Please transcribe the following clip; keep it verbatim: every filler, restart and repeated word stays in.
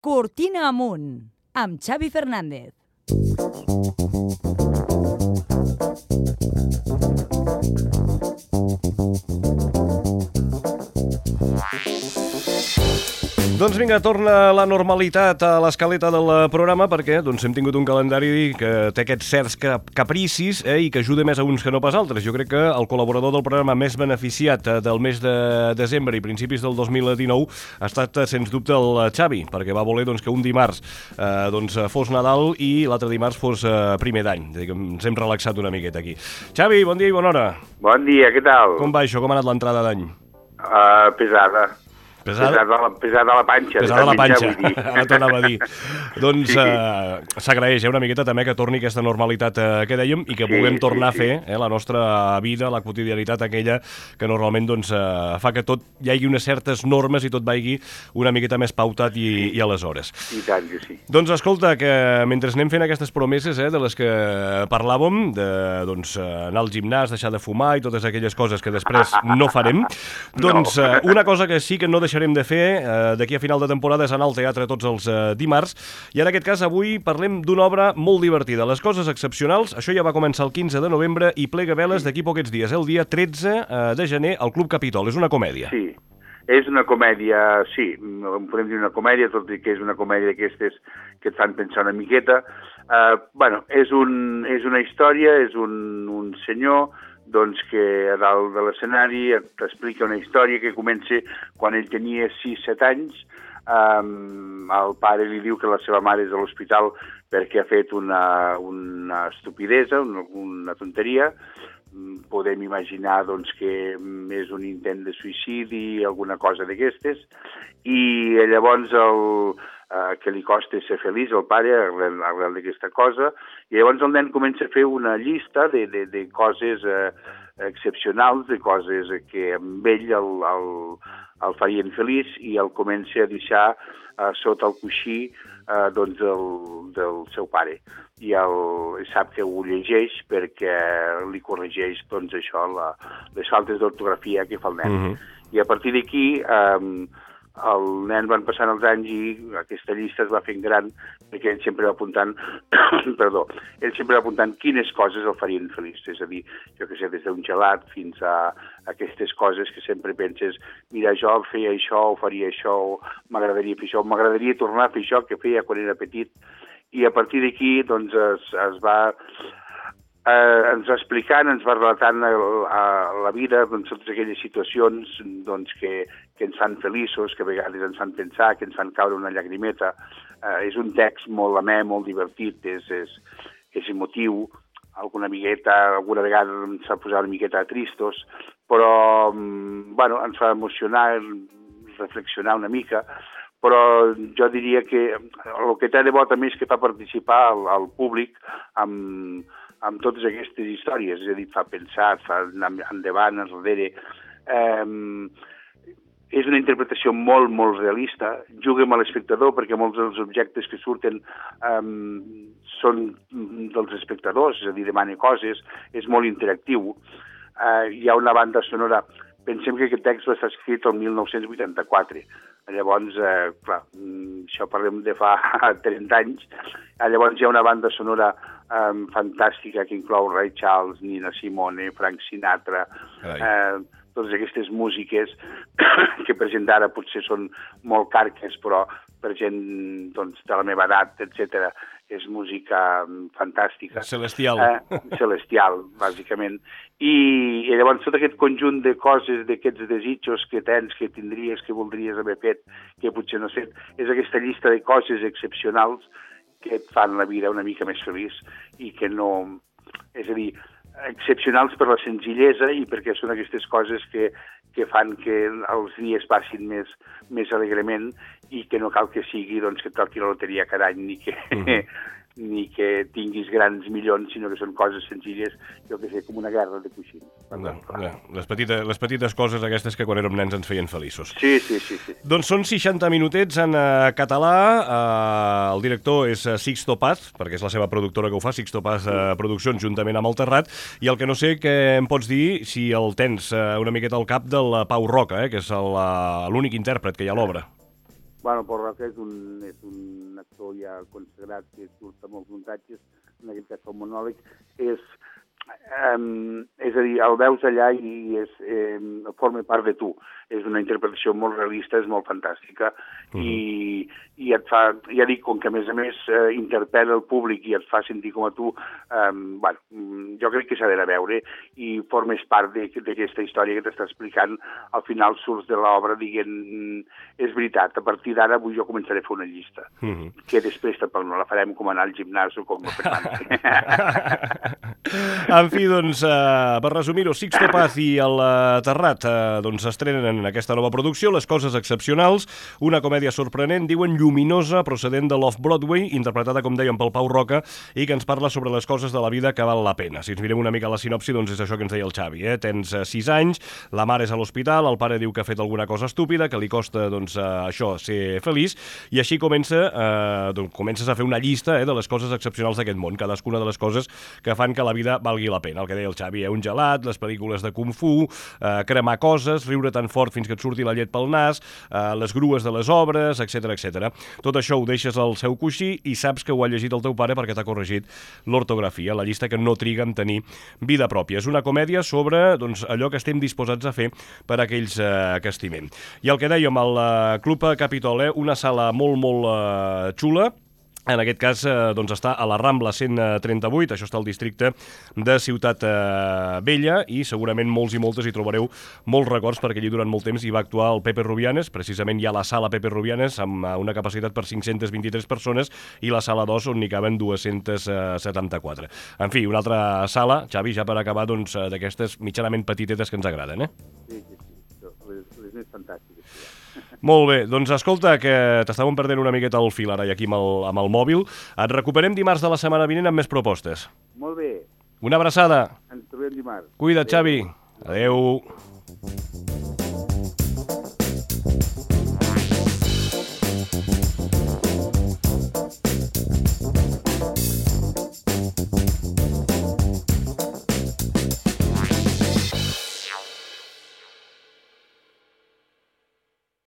Cortina amunt, amb Xavi Fernández. Doncs vinga, torna la normalitat a l'escaleta del programa perquè doncs, hem tingut un calendari que té aquests certs capricis eh, i que ajuda més a uns que no pas altres. Jo crec que el col·laborador del programa més beneficiat del mes de desembre i principis del dos mil dinou ha estat, sens dubte, el Xavi, perquè va voler doncs, que un dimarts eh, doncs, fos Nadal i l'altre dimarts fos eh, primer d'any. Ens hem relaxat una miqueta aquí. Xavi, bon dia i bona hora. Bon dia, què tal? Com va això? Com ha anat l'entrada d'any? Uh, pesada. Pesada? Pesada, la, pesada la panxa. Pesada la panxa, ja, ara t'anava a dir. Doncs sí. eh, s'agraeix eh, una miqueta també que torni aquesta normalitat eh, que dèiem i que sí, vulguem tornar sí, sí. a fer eh, la nostra vida, la quotidianitat aquella que normalment doncs, eh, fa que tot hi hagi unes certes normes i tot vagi una miqueta més pautat i, sí. i aleshores. I tant que sí. Doncs escolta, que mentre anem fent aquestes promeses eh, de les que parlàvem, de doncs, anar al gimnàs, deixar de fumar i totes aquelles coses que després no farem, doncs no. eh, una cosa que sí que no deixarem de fer eh, d'aquí a final de temporada és anar al teatre tots els eh, dimarts, i en aquest cas avui parlem d'una obra molt divertida, Les coses excepcionals. Això ja va començar el quinze de novembre i plega veles d'aquí poquets dies, el dia tretze eh, de gener al Club Capitol. És una comèdia. Sí, és una comèdia, sí, podem dir una comèdia, tot i que és una comèdia d'aquestes que et fan pensar una miqueta. Uh, bueno, és, un, és una història, és un, un senyor doncs que a dalt de l'escenari t'explica una història que comença quan ell tenia sis set anys. Um, el pare li diu que la seva mare és a l'hospital perquè ha fet una, una estupidesa, una, una tonteria. Podem imaginar doncs, que és un intent de suïcidi, alguna cosa d'aquestes, i llavors el, eh, que li costa ser feliç al pare arrel, arrel d'aquesta cosa, i llavors el nen comença a fer una llista de, de, de coses eh, excepcionals, de coses que amb ell el, el, el farien feliç, i el comença a deixar eh, sota el coixí eh, doncs el, del seu pare. I el, sap que ho llegeix perquè li corregeix doncs, això, la, les faltes d'ortografia que fa el nen. Mm-hmm. I a partir d'aquí eh, el nen van passant els anys i aquesta llista es va fent gran perquè ell sempre va apuntant perdó, ell sempre va apuntant quines coses el farien feliç. És a dir, jo que sé, des d'un gelat fins a aquestes coses que sempre penses, mira, jo feia això, o faria això, o m'agradaria fer això, m'agradaria tornar a fer això que feia quan era petit. I a partir d'aquí doncs, es, es va eh, ens va explicant, ens va relatant a, a la vida doncs, totes aquelles situacions doncs, que, que ens fan feliços, que a vegades ens fan pensar, que ens fan caure una llagrimeta. Eh, és un text molt amè, molt divertit, és, és, és emotiu, alguna miqueta, alguna vegada ens fa posar una miqueta tristos, però bueno, ens fa emocionar, reflexionar una mica. Però jo diria que el que té de bo també és que fa participar al, al públic amb, amb totes aquestes històries, és a dir, fa pensar, fa anar endavant, enrere. Eh, és una interpretació molt, molt realista, juga amb l'espectador perquè molts dels objectes que surten eh, són dels espectadors, és a dir, demana coses, és molt interactiu. Eh, hi ha una banda sonora. Pensem que aquest text va estar escrit el mil nou-cents vuitanta-quatre. Llavors, eh, clar, això parlem de fa trenta anys. Llavors hi ha una banda sonora eh, fantàstica que inclou Ray Charles, Nina Simone, Frank Sinatra, eh, totes aquestes músiques que per gent d'ara potser són molt carques, però per gent doncs, de la meva edat, etcètera, és música fantàstica. Celestial. Eh, celestial, bàsicament. I, I llavors tot aquest conjunt de coses, d'aquests desitjos que tens, que tindries, que voldries haver fet, que potser no has fet, és aquesta llista de coses excepcionals que et fan la vida una mica més feliç i que no... És a dir, excepcionals per la senzillesa i perquè són aquestes coses que, que fan que els dies passin més, més alegrement i que no cal que sigui doncs, que toqui la loteria cada any ni que, mm-hmm. ni que tinguis grans milions, sinó que són coses senzilles, jo que sé, com una guerra de coixins. No, no. Les, petites, les petites coses aquestes que quan érem nens ens feien feliços. Sí, sí, sí. sí. Doncs són seixanta minutets en uh, català, uh, el director és uh, Sixto Paz, perquè és la seva productora que ho fa, Sixto Paz uh, Produccions, juntament amb el Terrat, i el que no sé que em pots dir, si el tens uh, una miqueta al cap del Pau Roca, eh, que és l'únic intèrpret que hi ha a l'obra. Bueno, Pol Roca és un, és un actor ja consagrat que surt a molts muntatges, en aquest cas el monòleg, és, um, és a dir, el veus allà i és, eh, forma part de tu. És una interpretació molt realista, és molt fantàstica, uh-huh. i, i et fa, ja dic, com que a més a més eh, interpel·la el públic i et fa sentir com a tu, eh, bueno, jo crec que s'ha d'anar a veure i formes part d'aquesta història que t'està explicant. Al final surts de l'obra dient, és veritat, a partir d'ara avui jo començaré a fer una llista, uh-huh. que després tampoc no la farem com anar al gimnàs o com no fer En fi, doncs, eh, per resumir-ho, Sixto Paz i el eh, Terrat eh, doncs estrenen en aquesta nova producció Les coses excepcionals, una comèdia sorprenent, diuen lluminosa, procedent de l'Off-Broadway, interpretada, com dèiem, pel Pau Roca, i que ens parla sobre les coses de la vida que val la pena. Si ens mirem una mica la sinopsi, doncs és això que ens deia el Xavi, eh? Tens eh, sis anys, la mare és a l'hospital, el pare diu que ha fet alguna cosa estúpida, que li costa, doncs, eh, això, ser feliç, i així comença, eh, doncs, comences a fer una llista eh, de les coses excepcionals d'aquest món, cadascuna de les coses que fan que la vida valgui la pena. El que deia el Xavi, eh? Un gelat, les pel·lícules de Kung Fu, eh, cremar coses, riure tan fort fins que et surti la llet pel nas, eh, les grues de les obres, etcètera, etcètera. Tot això ho deixes al seu coixí i saps que ho ha llegit el teu pare perquè t'ha corregit l'ortografia, la llista que no triga en tenir vida pròpia. És una comèdia sobre doncs, allò que estem disposats a fer per a aquells eh, que estimem. I el que dèiem, el eh, Club Capitol, eh, una sala molt, molt eh, xula. En aquest cas, eh, doncs està a la Rambla cent trenta-vuit, això està al districte de Ciutat eh, Vella, i segurament molts i moltes hi trobareu molts records, perquè allí durant molt temps hi va actuar el Pepe Rubianes, precisament hi ha la sala Pepe Rubianes amb una capacitat per cinc-centes vint-i-tres persones i la sala dos on n'hi caben dues-centes setanta-quatre. En fi, una altra sala, Xavi, ja per acabar, doncs, d'aquestes mitjanament petitetes que ens agraden, eh? Sí, sí, sí, les, les més fantàstiques, sí. Molt bé, doncs escolta, que t'estàvem perdent una miqueta el fil ara i aquí amb el, amb el mòbil. Et recuperem dimarts de la setmana vinent amb més propostes. Molt bé. Una abraçada. Ens trobem dimarts. Cuida't, Xavi. Adéu.